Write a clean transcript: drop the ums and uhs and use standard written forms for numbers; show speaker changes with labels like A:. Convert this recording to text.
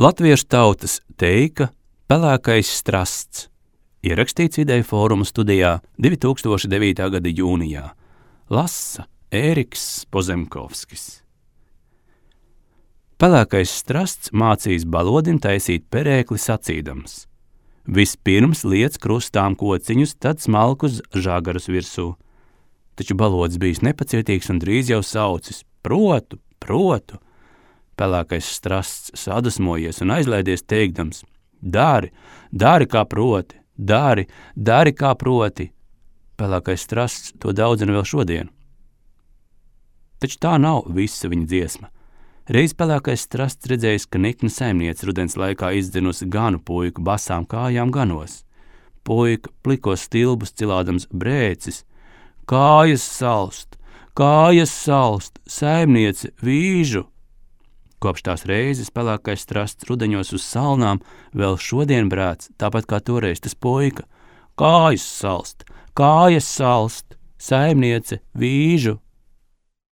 A: Latviešu tautas teika Pelēkais strasts, ierakstīts Ideju fóruma studijā 2009. gada jūnijā. Lasa Ēriks Pozemkovskis. Pelēkais strasts mācīs balodim taisīt perēkli sacīdams. Vispirms liec krustām kociņus, tad smalkus žagarus virsū. Taču balodis bijis nepacietīgs un drīz jau saucis: protu, protu. Pelēkais strasts sadusmojies un aizlaidies teikdams: dari, dari kā proti, dari, dari kā proti. Pelēkais strasts to daudzina vēl šodien. Taču tā nav visa viņa dziesma. Reiz pelēkais strasts redzējis, ka nikna saimniece rudens laikā izdzinusi ganu puiku basām kājām ganos. Puika plikos stilbus cilādams brēcis: kājas salst, saimniece vīžu. Kopš tās reizes pelēkais strasts rudeņos uz salnām vēl šodien brēc, tāpat kā toreiz tas puika: kājas salst, saimniece vīžu.